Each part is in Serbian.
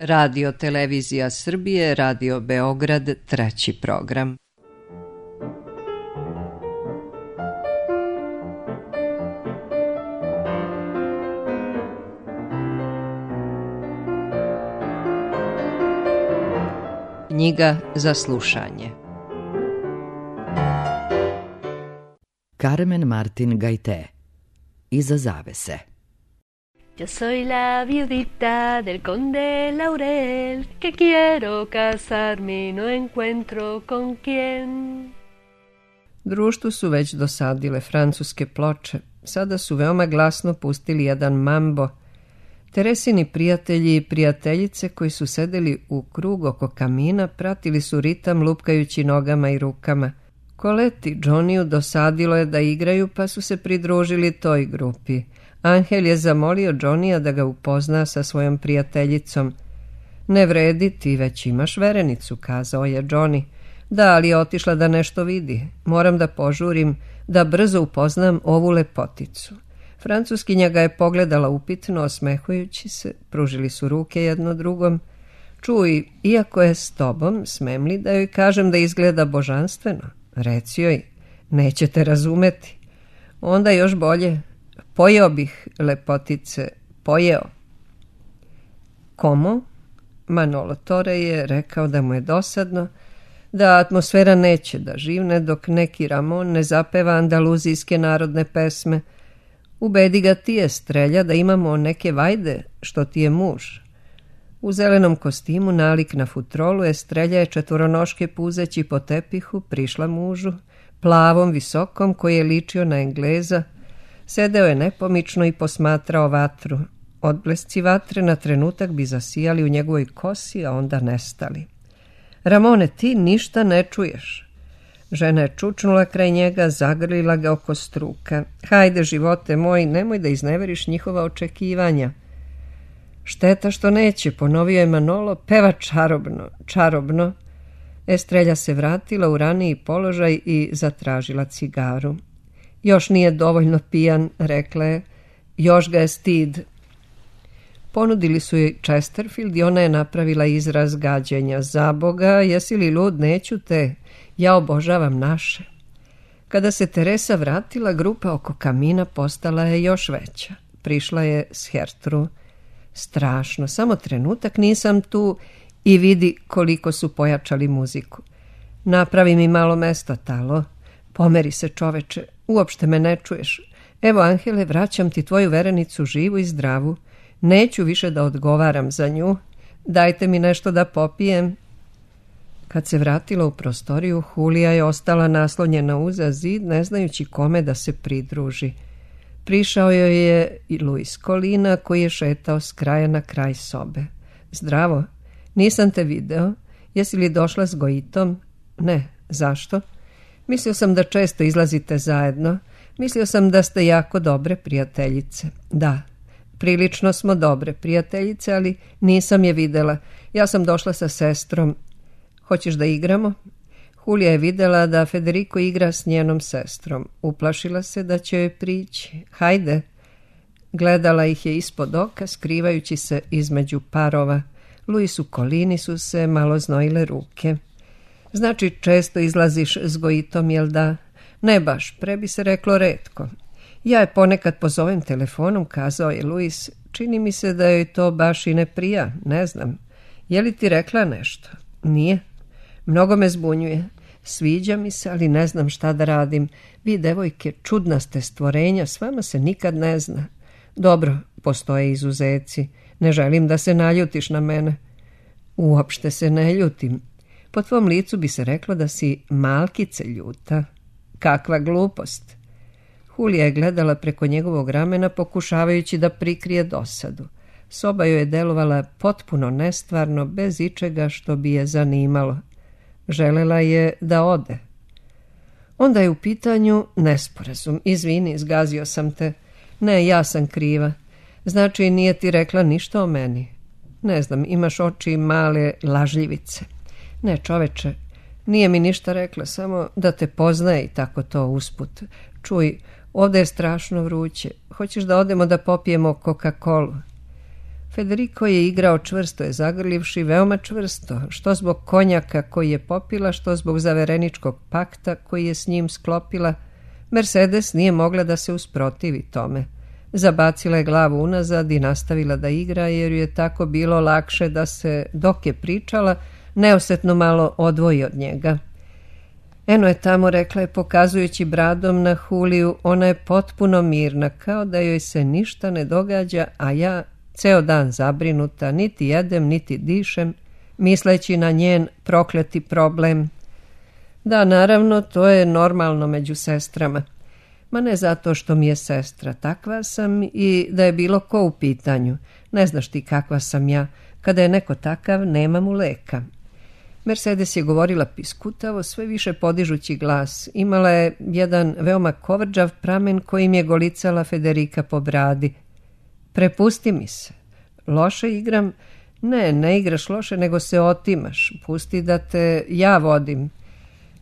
Radio Televizija Srbije, Radio Beograd, treći program. Knjiga za slušanje. Carmen Martin Gaité. Iza zavese. Yo soy la viudita del conde Laurel, que quiero casarme y no encuentro con quién. Društvu su već dosadile francuske ploče. Sada su veoma glasno pustili jedan mambo. Teresini prijatelji i prijateljice koji su sedeli u krug oko kamina pratili su ritam lupkajući nogama i rukama. Colette i Johnnyju dosadilo je da igraju pa su se pridružili toj grupi. Angel je zamolio Johnnyja da ga upozna sa svojom prijateljicom. Ne vredi, ti već imaš verenicu, kazao je Johnny. Da, ali je otišla da nešto vidi. Moram da požurim, da brzo upoznam ovu lepoticu. Francuskinja ga je pogledala upitno, osmehujući se, pružili su ruke jedno drugom. Čuj, iako je s tobom, smem li da joj kažem da izgleda božanstveno? Reci joj, nećete razumeti. Onda još bolje, pojeo bih, lepotice, pojeo. Komo? Manolo Tore je rekao da mu je dosadno, da atmosfera neće da živne dok neki Ramon ne zapeva andaluzijske narodne pesme. Ubedi ga ti je, Strelja, da imamo neke vajde, što ti je muž. U zelenom kostimu, nalik na futrolu, Estrelja je četvoronoške puzeći po tepihu prišla mužu, plavom, visokom, koji je ličio na Engleza. Sedeo je nepomično i posmatrao vatru. Odblesci vatre na trenutak bi zasijali u njegovoj kosi, a onda nestali. Ramone, ti ništa ne čuješ. Žena je čučnula kraj njega, zagrlila ga oko struka. Hajde, živote moj, nemoj da izneveriš njihova očekivanja. Šteta što neće, ponovio je Manolo, peva čarobno, čarobno. Estrelja se vratila u raniji položaj i zatražila cigaru. Još nije dovoljno pijan, rekla je, još ga je stid. Ponudili su joj Chesterfield i ona je napravila izraz gađenja. Za Boga, jesi li lud, neću te, ja obožavam naše. Kada se Teresa vratila, grupa oko kamina postala je još veća. Prišla je s Hertru. Strašno, samo trenutak nisam tu i vidi koliko su pojačali muziku. Napravi mi malo mesta, Talo. Pomeri se, čoveče, uopšte me ne čuješ. Evo, Angele, vraćam ti tvoju verenicu živu i zdravu. Neću više da odgovaram za nju. Dajte mi nešto da popijem. Kad se vratila u prostoriju, Julija je ostala naslonjena uza zid, ne znajući kome da se pridruži. Prišao joj je i Luis Colina, koji je šetao s kraja na kraj sobe. Zdravo, nisam te video. Jesi li došla s Goitom? Ne, zašto? Mislio sam da često izlazite zajedno. Mislio sam da ste jako dobre prijateljice. Da, prilično smo dobre prijateljice, ali nisam je videla. Ja sam došla sa sestrom. Hoćeš da igramo? Julija je videla da Federico igra s njenom sestrom. Uplašila se da će joj prići. Hajde. Gledala ih je ispod oka, skrivajući se između parova. Luisu Colini su se malo znojile ruke. Znači, često izlaziš s Goitom, jel da? Ne baš, pre bi se reklo retko. Ja je ponekad pozovem telefonom, kazao je Luis. Čini mi se da joj to baš i ne prija, ne znam. Je li ti rekla nešto? Nije. Mnogo me zbunjuje. Sviđa mi se, ali ne znam šta da radim. Vi, devojke, čudna ste stvorenja, s vama se nikad ne zna. Dobro, postoje izuzeci. Ne želim da se naljutiš na mene. Uopšte se ne ljutim. Po tvom licu bi se reklo da si malkice ljuta. Kakva glupost. Julija je gledala preko njegovog ramena, pokušavajući da prikrije dosadu. Soba joj je delovala potpuno nestvarno, bez ičega što bi je zanimalo. Želela je da ode. Onda je u pitanju nesporazum. Izvini, zgazio sam te. Ne, ja sam kriva. Znači, nije ti rekla ništa o meni? Ne znam, imaš oči male lažljivice. Ne, čoveče, nije mi ništa rekla, samo da te poznaje i tako to usput. Čuj, ovdje je strašno vruće. Hoćeš da odemo da popijemo Coca-Colu? Federico je igrao čvrsto je zagrlivši, veoma čvrsto, što zbog konjaka koji je popila, što zbog zavereničkog pakta koji je s njim sklopila. Mercedes nije mogla da se usprotivi tome. Zabacila je glavu unazad i nastavila da igra, jer ju je tako bilo lakše da se, dok je pričala, neosetno malo odvoji od njega. Eno je tamo, rekla je, pokazujući bradom na Huliju, ona je potpuno mirna, kao da joj se ništa ne događa, a ja ceo dan zabrinuta, niti jedem, niti dišem, misleći na njen prokleti problem. Da, naravno, to je normalno među sestrama. Ma ne zato što mi je sestra, takva sam i da je bilo ko u pitanju. Ne znaš ti kakva sam ja, kada je neko takav, nema mu leka. Mercedes je govorila piskutavo, sve više podižući glas. Imala je jedan veoma kovrđav pramen kojim je golicala Federica po bradi. Prepusti mi se. Loše igram? Ne igraš loše, nego se otimaš. Pusti da te ja vodim.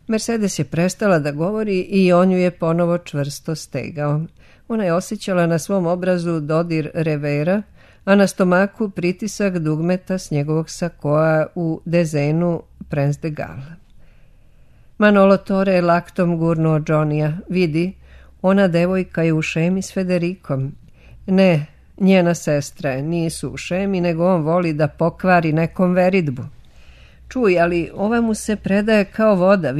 Mercedes je prestala da govori i on ju je ponovo čvrsto stegao. Ona je osjećala na svom obrazu dodir revera, a na stomaku pritisak dugmeta s njegovog sakoa u dezenu Prince de Galles. Manolo Torre je laktom gurnuo Johnnyja. Vidi, ona devojka je u šemi s Federicom. Ne, njena sestra je, nisu u šemi, nego on voli da pokvari nekom veridbu. Čuj, ali ova mu se predaje kao voda,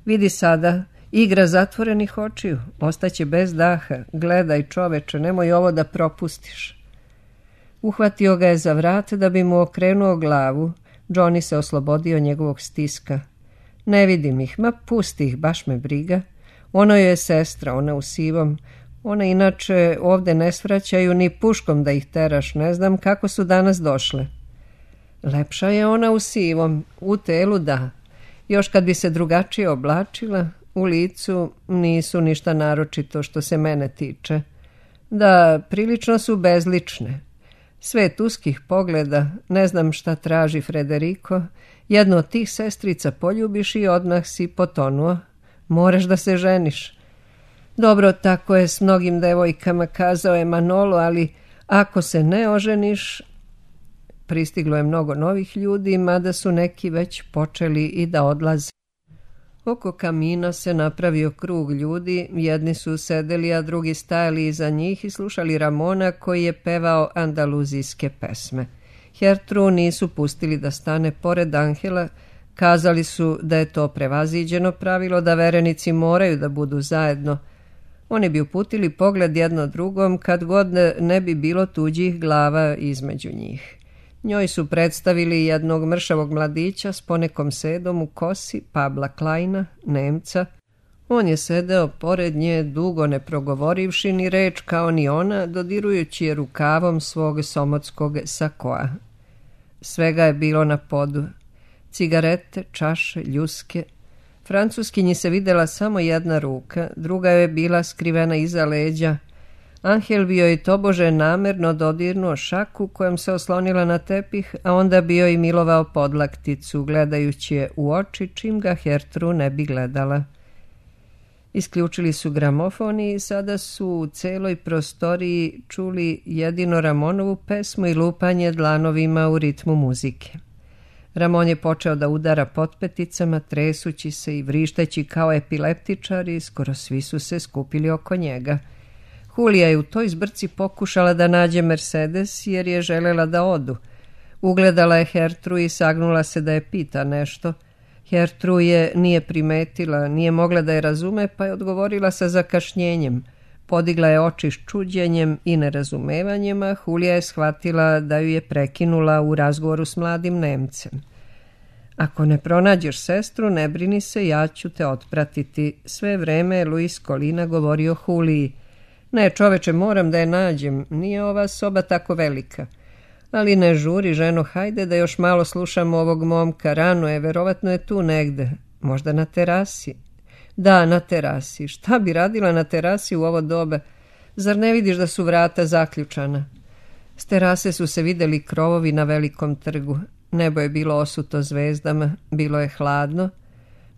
vidi sada, igra zatvorenih očiju, ostaće bez daha, gledaj čoveče, nemoj ovo da propustiš. Uhvatio ga je za vrat da bi mu okrenuo glavu. Johnny se oslobodio njegovog stiska. Ne vidim ih, ma pusti ih, baš me briga. Ono je sestra, ona u sivom. Ona inače ovde ne svraćaju ni puškom da ih teraš, ne znam kako su danas došle. Lepša je ona u sivom, u telu da. Još kad bi se drugačije oblačila, u licu nisu ništa naročito što se mene tiče. Da, prilično su bezlične. Svet uskih pogleda, ne znam šta traži Federico, jednu od tih sestrica poljubiš i odmah si potonuo. Moraš da se ženiš. Dobro, tako je s mnogim devojkama, kazao je Manolo, ali ako se ne oženiš... Pristiglo je mnogo novih ljudi, mada su neki već počeli i da odlaze. Oko kamina se napravio krug ljudi, jedni su sedeli, a drugi stajali iza njih i slušali Ramona koji je pevao andaluzijske pesme. Hertru nisu pustili da stane pored Angela, kazali su da je to prevaziđeno pravilo, da verenici moraju da budu zajedno. Oni bi uputili pogled jedno drugom kad god ne bi bilo tuđih glava između njih. Njoj su predstavili jednog mršavog mladića s ponekom sedom u kosi, Pabla Kleina, Nemca. On je sedeo pored nje, dugo ne progovorivši ni reč kao ni ona, dodirujući je rukavom svog somotskog sakoa. Svega je bilo na podu. Cigarete, čaše, ljuske. Francuskinji se videla samo jedna ruka, druga je bila skrivena iza leđa. Angel bio i tobože namerno dodirnuo šaku kojom se oslonila na tepih, a onda bio i milovao podlakticu, gledajući je u oči čim ga Hertru ne bi gledala. Isključili su gramofon i sada su u celoj prostoriji čuli jedino Ramonovu pesmu i lupanje dlanovima u ritmu muzike. Ramon je počeo da udara potpeticama, tresući se i vrišteći kao epileptičar i skoro svi su se skupili oko njega. Hulija je u toj zbrci pokušala da nađe Mercedes jer je želela da odu. Ugledala je Hertru i sagnula se da je pita nešto. Hertru je nije primetila, nije mogla da je razume, pa je odgovorila sa zakašnjenjem. Podigla je oči s čuđenjem i nerazumevanjem, a Hulija je shvatila da ju je prekinula u razgovoru s mladim Nemcem. Ako ne pronađeš sestru, ne brini se, ja ću te otpratiti. Sve vreme je Luis Colina govorio Huliji. Ne, čoveče, moram da je nađem, nije ova soba tako velika. Ali ne žuri, ženo, hajde da još malo slušamo ovog momka, rano je, verovatno je tu negde, možda na terasi. Da, na terasi, šta bi radila na terasi u ovo doba? Zar ne vidiš da su vrata zaključana? S terase su se videli krovovi na velikom trgu, nebo je bilo osuto zvezdama, bilo je hladno.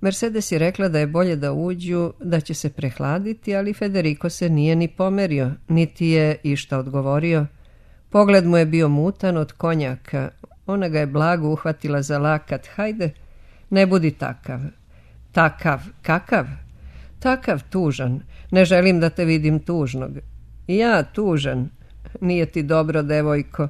Mercedes je rekla da je bolje da uđu, da će se prehladiti, ali Federico se nije ni pomerio, niti je išta odgovorio. Pogled mu je bio mutan od konjaka. Ona ga je blago uhvatila za lakat. Hajde, ne budi takav. Takav, kakav? Takav tužan. Ne želim da te vidim tužnog. Ja tužan. Nije ti dobro, devojko.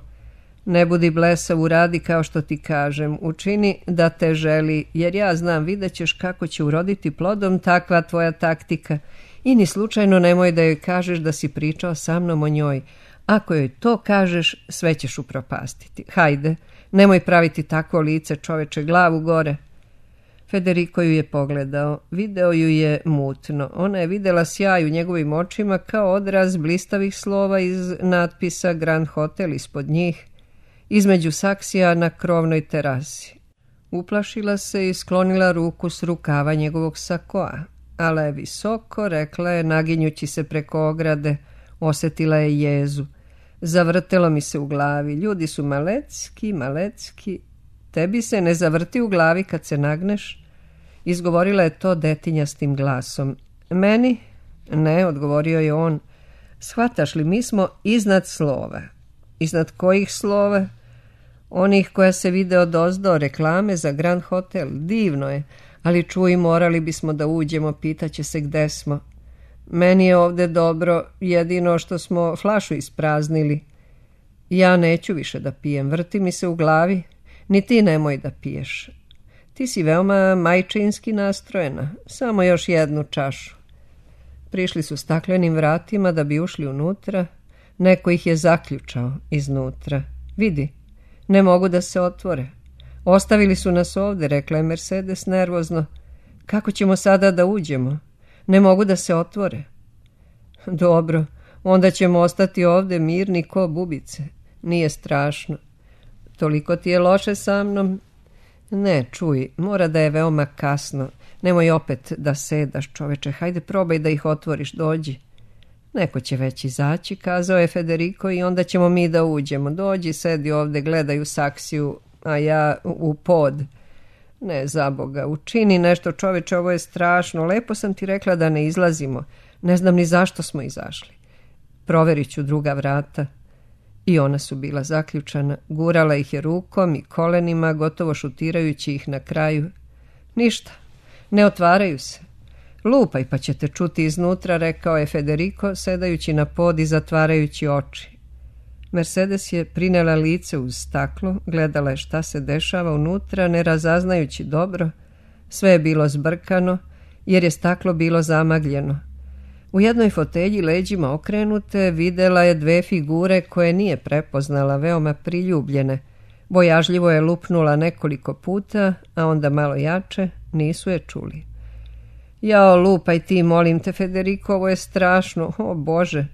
Ne budi blesav, uradi kao što ti kažem. Učini da te želi, jer ja znam, vidjet ćeš kako će uroditi plodom takva tvoja taktika. I ni slučajno nemoj da joj kažeš da si pričao sa mnom o njoj. Ako joj to kažeš, sve ćeš upropastiti. Hajde, nemoj praviti takvo lice, čoveče, glavu gore. Federico ju je pogledao. Video ju je mutno. Ona je videla sjaj u njegovim očima kao odraz blistavih slova iz natpisa Grand Hotel ispod njih, između saksija na krovnoj terasi. Uplašila se i sklonila ruku s rukava njegovog sakoa. Ale je visoko, rekla je, naginjući se preko ograde. Osjetila je jezu. Zavrtelo mi se u glavi. Ljudi su malecki, malecki. Tebi se ne zavrti u glavi kad se nagneš? Izgovorila je to detinjastim glasom. Meni? Ne, odgovorio je on. Shvataš li, mi smo iznad slova. Iznad kojih slova? Onih koja se vide odozdo, reklame za Grand Hotel. Divno je, ali čuj, morali bismo da uđemo, pitaće se gde smo. Meni je ovde dobro, jedino što smo flašu ispraznili. Ja neću više da pijem, vrti mi se u glavi. Ni ti nemoj da piješ. Ti si veoma majčinski nastrojena, samo još jednu čašu. Prišli su staklenim vratima da bi ušli unutra. Neko ih je zaključao iznutra. Vidi, ne mogu da se otvore. Ostavili su nas ovde, rekla je Mercedes nervozno. Kako ćemo sada da uđemo? Ne mogu da se otvore. Dobro, onda ćemo ostati ovde mirni ko bubice. Nije strašno. Toliko ti je loše sa mnom? Ne, čuj, mora da je veoma kasno. Nemoj opet da sedaš, čoveče. Hajde, probaj da ih otvoriš, dođi. Neko će već izaći, kazao je Federico, i onda ćemo mi da uđemo. Dođi, sedi ovde, gledaj u saksiju, a ja u pod. Ne, zaboga, učini nešto, čoveče, ovo je strašno. Lepo sam ti rekla da ne izlazimo. Ne znam ni zašto smo izašli. Proverit ću druga vrata. I ona su bila zaključana. Gurala ih je rukom i kolenima, gotovo šutirajući ih na kraju. Ništa, ne otvaraju se. Lupaj pa ćete čuti iznutra, rekao je Federico, sedajući na pod i zatvarajući oči. Mercedes je prinela lice uz staklo, gledala je šta se dešava unutra, ne razaznajući dobro. Sve je bilo zbrkano, jer je staklo bilo zamagljeno. U jednoj fotelji, leđima okrenute, videla je dve figure koje nije prepoznala, veoma priljubljene. Bojažljivo je lupnula nekoliko puta, a onda malo jače, nisu je čuli. Jao, lupaj ti, molim te, Federico, ovo je strašno, o Bože.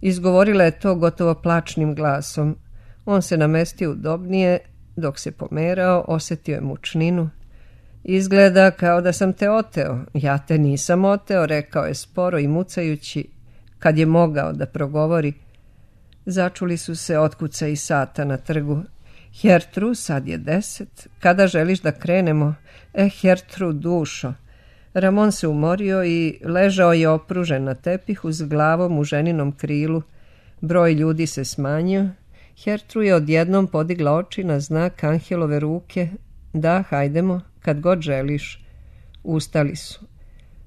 Izgovorila je to gotovo plačnim glasom. On se namestio udobnije, dok se pomerao, osjetio je mučninu. Izgleda kao da sam te oteo. Ja te nisam oteo, rekao je sporo i mucajući, kad je mogao da progovori. Začuli su se otkucaji sata na trgu. Hertru, sad je 10. Kada želiš da krenemo? Hertru, dušo. Ramon se umorio i ležao je opružen na tepihu s glavom u ženinom krilu. Broj ljudi se smanjio. Hertru je odjednom podigla oči na znak Angelove ruke. Da, hajdemo, kad god želiš. Ustali su.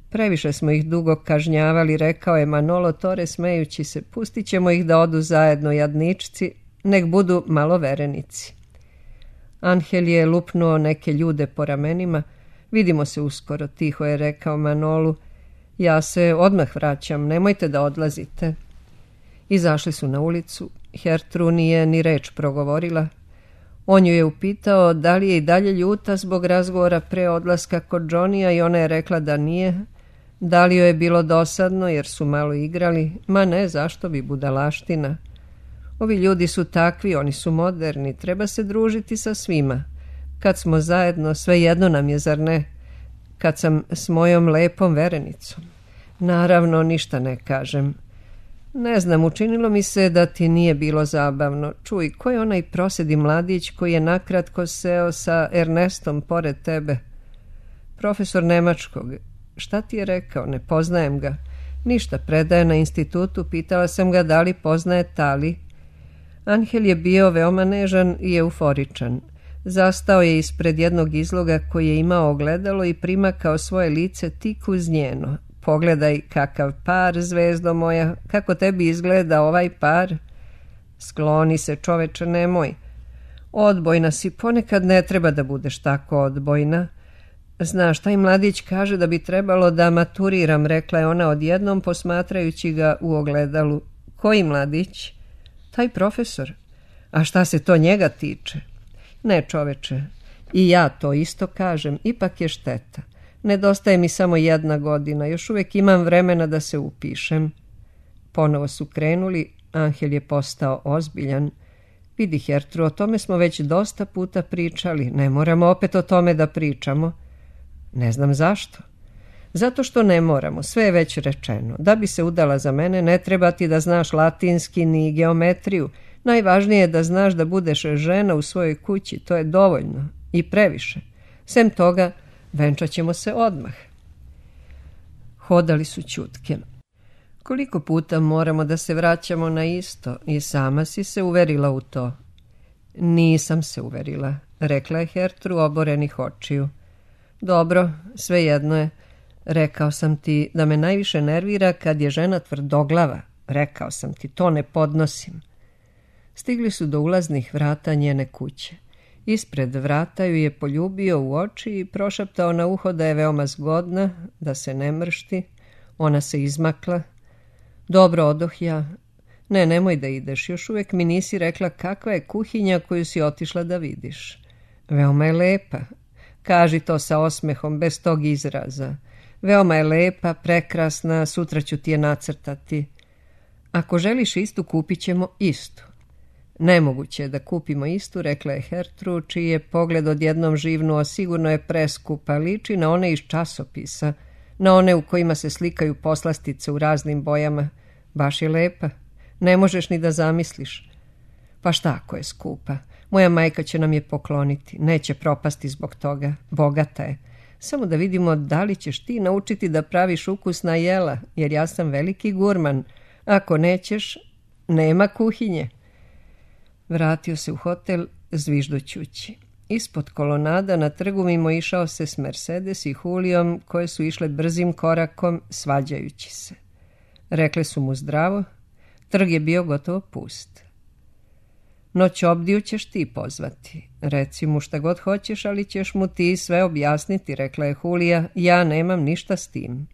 Previše smo ih dugo kažnjavali, rekao je Manolo Tore smejući se. Pustit ćemo ih da odu zajedno, jadničci, nek budu malo verenici. Angel je lupnuo neke ljude po ramenima. Vidimo se uskoro, tiho je rekao Manolu. Ja se odmah vraćam, nemojte da odlazite. Izašli su na ulicu. Hertru nije ni reč progovorila. On ju je upitao da li je i dalje ljuta zbog razgovora pre odlaska kod Johnnyja i ona je rekla da nije. Da li joj je bilo dosadno jer su malo igrali? Ma ne, zašto bi, budalaština. Ovi ljudi su takvi, oni su moderni, treba se družiti sa svima. Kad smo zajedno, sve jedno nam je, zar ne? Kad sam s mojom lepom verenicom. Naravno, ništa ne kažem. Ne znam, učinilo mi se da ti nije bilo zabavno. Čuj, ko je onaj prosedi mladić koji je nakratko seo sa Ernestom pored tebe? Profesor nemačkog. Šta ti je rekao? Ne poznajem ga. Ništa, predaje na institutu. Pitala sam ga da li poznaje Tali. Angel je bio veoma nežan i euforičan. Zastao je ispred jednog izloga koji je imao ogledalo i primakao svoje lice tik uz njeno. Pogledaj kakav par, zvezdo moja, kako tebi izgleda ovaj par. Skloni se, čoveče, nemoj. Odbojna si, ponekad ne treba da budeš tako odbojna. Znaš, taj mladić kaže da bi trebalo da maturiram, rekla je ona odjednom posmatrajući ga u ogledalu. Koji mladić? Taj profesor. A šta se to njega tiče? Ne, čoveče, i ja to isto kažem, ipak je šteta. Nedostaje mi samo 1 godina, još uvijek imam vremena da se upišem. Ponovo su krenuli, Angel je postao ozbiljan. Vidi, Hertru, o tome smo već dosta puta pričali, ne moramo opet o tome da pričamo. Ne znam zašto. Zato što ne moramo, sve je već rečeno. Da bi se udala za mene, ne treba ti da znaš latinski ni geometriju. Najvažnije je da znaš da budeš žena u svojoj kući, to je dovoljno i previše. Sem toga, venčat ćemo se odmah. Hodali su ćutke. Koliko puta moramo da se vraćamo na isto i sama si se uverila u to? Nisam se uverila, rekla je Hertru oborenih očiju. Dobro, svejedno je. Rekao sam ti da me najviše nervira kad je žena tvrdoglava. Rekao sam ti, to ne podnosim. Stigli su do ulaznih vrata njene kuće. Ispred vrata ju je poljubio u oči i prošaptao na uho da je veoma zgodna, da se ne mršti. Ona se izmakla. Dobro, odoh ja. Ne, nemoj da ideš, još uvijek mi nisi rekla kakva je kuhinja koju si otišla da vidiš. Veoma je lepa. Kaži to sa osmehom, bez tog izraza. Veoma je lepa, prekrasna, sutra ću ti je nacrtati. Ako želiš istu, kupit ćemo istu. Nemoguće je da kupimo istu, rekla je Hertru, čiji je pogled odjednom živnuo, sigurno je preskupa, liči na one iz časopisa, na one u kojima se slikaju poslastice u raznim bojama. Baš je lepa, ne možeš ni da zamisliš. Pa šta ako je skupa? Moja majka će nam je pokloniti, neće propasti zbog toga, bogata je. Samo da vidimo da li ćeš ti naučiti da praviš ukusna jela, jer ja sam veliki gurman. Ako nećeš, nema kuhinje. Vratio se u hotel zviždućući. Ispod kolonada na trgu mimo išao se s Mercedes i Julijom, koje su išle brzim korakom, svađajući se. Rekle su mu zdravo, trg je bio gotovo pust. Noć obdiju ćeš ti pozvati. Reci mu šta god hoćeš, ali ćeš mu ti sve objasniti, rekla je Julija, ja nemam ništa s tim.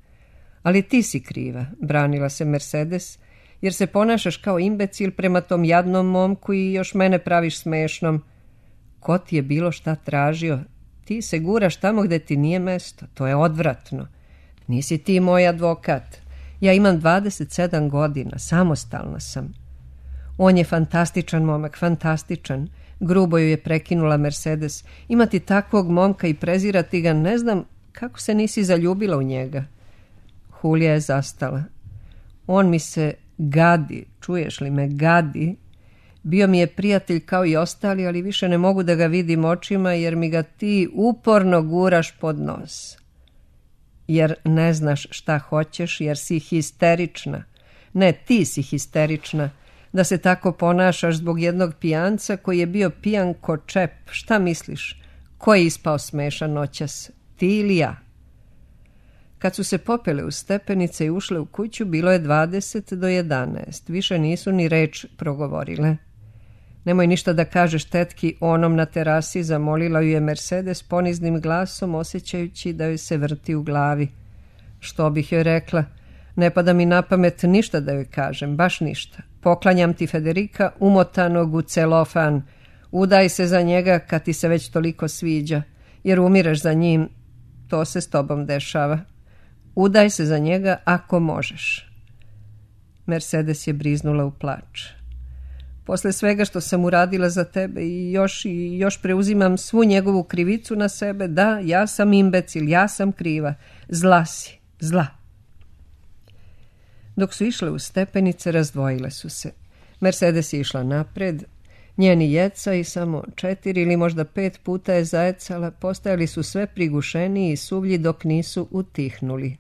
Ali ti si kriva, branila se Mercedes, jer se ponašaš kao imbecil prema tom jadnom momku i još mene praviš smešnom. Ko ti je bilo šta tražio? Ti se guraš tamo gde ti nije mesto, to je odvratno. Nisi ti moj advokat. Ja imam 27 godina, samostalna sam. On je fantastičan momak, fantastičan. Grubo ju je prekinula Mercedes. Imati takvog momka i prezirati ga, ne znam kako se nisi zaljubila u njega. Julija je zastala. On mi se gadi, čuješ li me, gadi. Bio mi je prijatelj kao i ostali, ali više ne mogu da ga vidim očima jer mi ga ti uporno guraš pod nos. Jer ne znaš šta hoćeš, jer si histerična. Ne, ti si histerična. Da se tako ponašaš zbog jednog pijanca koji je bio pijan ko čep. Šta misliš? Ko je ispao smešan noćas? Ti ili ja? Kad su se popele u stepenice i ušle u kuću, bilo je 20 do 11. Više nisu ni reč progovorile. Nemoj ništa da kažeš tetki onom na terasi, zamolila ju je Mercedes poniznim glasom, osjećajući da joj se vrti u glavi. Što bih joj rekla? Ne pada mi na pamet ništa da joj kažem, baš ništa. Poklanjam ti Federika umotanog u celofan. Udaj se za njega kad ti se već toliko sviđa, jer umireš za njim. To se s tobom dešava. Udaj se za njega ako možeš. Mercedes je briznula u plač. Posle svega što sam uradila za tebe i još preuzimam svu njegovu krivicu na sebe, da, ja sam imbecil, ja sam kriva. Zla si, zla. Dok su išle u stepenice, razdvojile su se. Mercedes je išla napred, njeni jeca i samo 4 ili možda 5 puta je zajecala, postajali su sve prigušeniji i suvlji dok nisu utihnuli.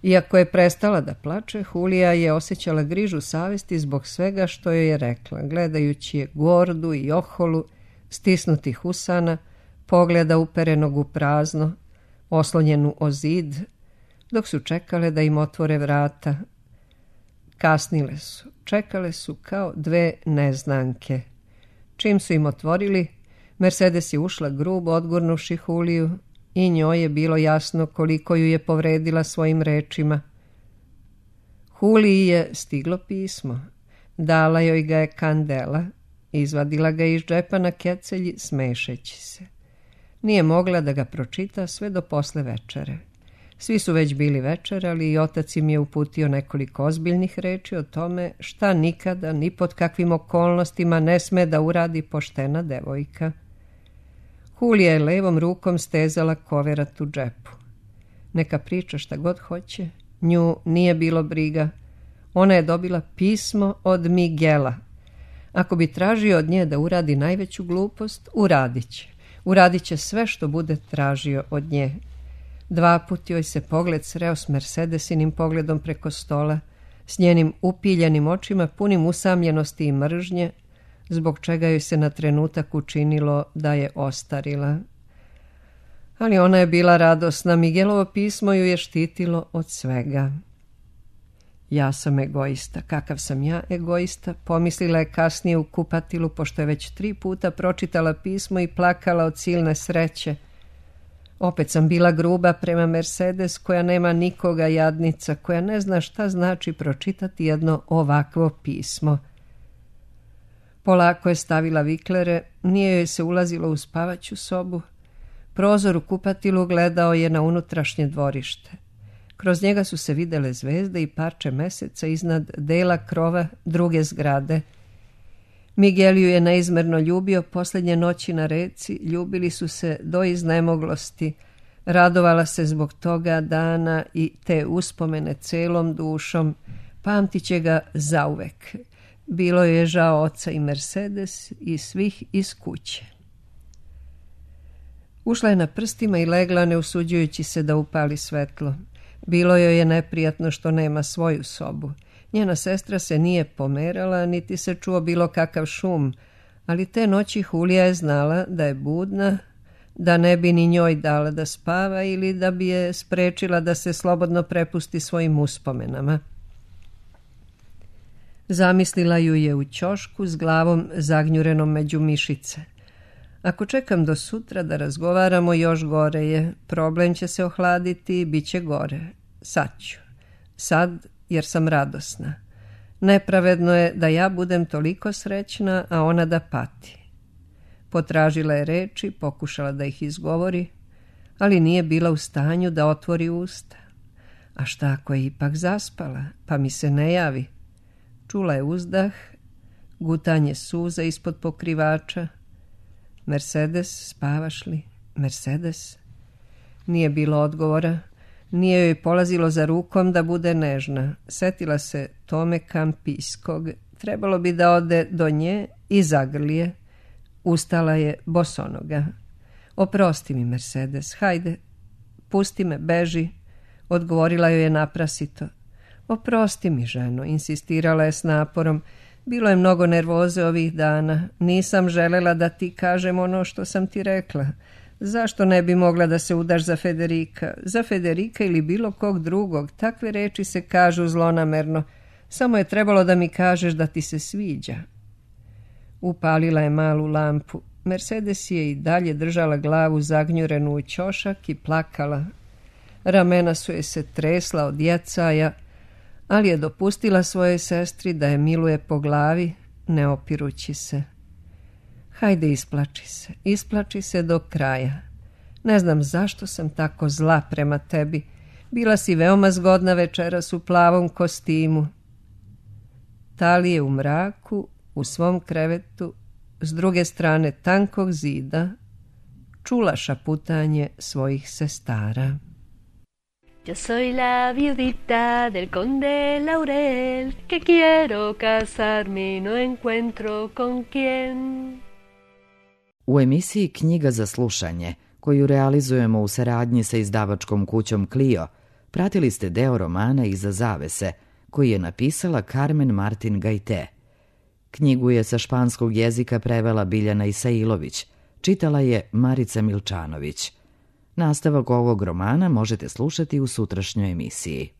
Iako je prestala da plače, Julija je osjećala grižu savesti zbog svega što joj je rekla, gledajući je gordu i oholu, stisnutih usana, pogleda uperenog u prazno, oslonjenu o zid, dok su čekale da im otvore vrata. Kasnile su, čekale su kao dve neznanke. Čim su im otvorili, Mercedes je ušla grubo odgurnuvši Juliju i njoj je bilo jasno koliko ju je povredila svojim rečima. Juliji je stiglo pismo. Dala joj ga je Kandela, izvadila ga iz džepa na kecelji, smešeći se. Nije mogla da ga pročita sve do posle večere. Svi su već bili večerali i otac im je uputio nekoliko ozbiljnih reči o tome šta nikada, ni pod kakvim okolnostima ne sme da uradi poštena devojka. Julija je levom rukom stezala koverat u džepu. Neka priča šta god hoće, nju nije bilo briga. Ona je dobila pismo od Miguela. Ako bi tražio od nje da uradi najveću glupost, uradit će. Uradit će sve što bude tražio od nje. 2 put joj se pogled sreo s Mercedesinim pogledom preko stola, s njenim upiljenim očima punim usamljenosti i mržnje, zbog čega joj se na trenutak učinilo da je ostarila. Ali ona je bila radosna, Miguelovo pismo ju je štitilo od svega. Ja sam egoista, kakav sam ja egoista, pomislila je kasnije u kupatilu, pošto je već 3 puta pročitala pismo i plakala od silne sreće. Opet sam bila gruba prema Mercedes, koja nema nikoga, jadnica, koja ne zna šta znači pročitati jedno ovakvo pismo. Polako je stavila viklere, nije joj se ulazilo u spavaću sobu. Prozor u kupatilu gledao je na unutrašnje dvorište. Kroz njega su se videle zvezde i parče meseca iznad dela krova druge zgrade. Miguel ju je neizmerno ljubio posljednje noći na reci, ljubili su se do iznemoglosti. Radovala se zbog toga dana i te uspomene celom dušom, pamtit će ga zauvek. Bilo je žao oca i Mercedes i svih iz kuće. Ušla je na prstima i legla, ne usuđujući se da upali svetlo. Bilo joj je neprijatno što nema svoju sobu. Njena sestra se nije pomerala, niti se čuo bilo kakav šum, ali te noći Julija je znala da je budna, da ne bi ni njoj dala da spava ili da bi je sprečila da se slobodno prepusti svojim uspomenama. Zamislila ju je u ćošku s glavom zagnjurenom među mišice. Ako čekam do sutra da razgovaramo, još gore je. Problem će se ohladiti i bit će gore. Sad ću. Sad, jer sam radosna. Nepravedno je da ja budem toliko srećna, a ona da pati. Potražila je reči, pokušala da ih izgovori, ali nije bila u stanju da otvori usta. A šta ako je ipak zaspala, pa mi se ne javi? Čula je uzdah, gutanje suza ispod pokrivača. Mercedes, spavaš li? Mercedes? Nije bilo odgovora. Nije joj polazilo za rukom da bude nežna. Setila se Tome Kampijskog. Trebalo bi da ode do nje i zagrli je. Ustala je bosonoga. Oprosti mi, Mercedes, hajde, pusti me, beži, odgovorila joj je naprasito. Oprosti mi, ženo, insistirala je s naporom. Bilo je mnogo nervoze ovih dana. Nisam želela da ti kažem ono što sam ti rekla. Zašto ne bi mogla da se udaš za Federika? Za Federika ili bilo kog drugog. Takve reči se kažu zlonamerno. Samo je trebalo da mi kažeš da ti se sviđa. Upalila je malu lampu. Mercedes je i dalje držala glavu zagnjurenu u ćošak i plakala. Ramena su je se tresla od jecaja, ali je dopustila svojoj sestri da je miluje po glavi, ne opirući se. Hajde, isplači se do kraja. Ne znam zašto sam tako zla prema tebi. Bila si veoma zgodna večeras u plavom kostimu. Tali je u mraku, u svom krevetu, s druge strane tankog zida, čula šaputanje svojih sestara. Yo soy la viudita del conde Laurel, que quiero casarme y no encuentro con quién. U emisiji Knjiga za slušanje, koju realizujemo u saradnji sa izdavačkom kućom Clio, Pratili ste deo romana Iza zavese, koji je napisala Carmen Martin Gaite. Knjigu je sa španskog jezika prevela Biljana Isailović, čitala je Marica Milčanović. Nastavak ovog romana možete slušati u sutrašnjoj emisiji.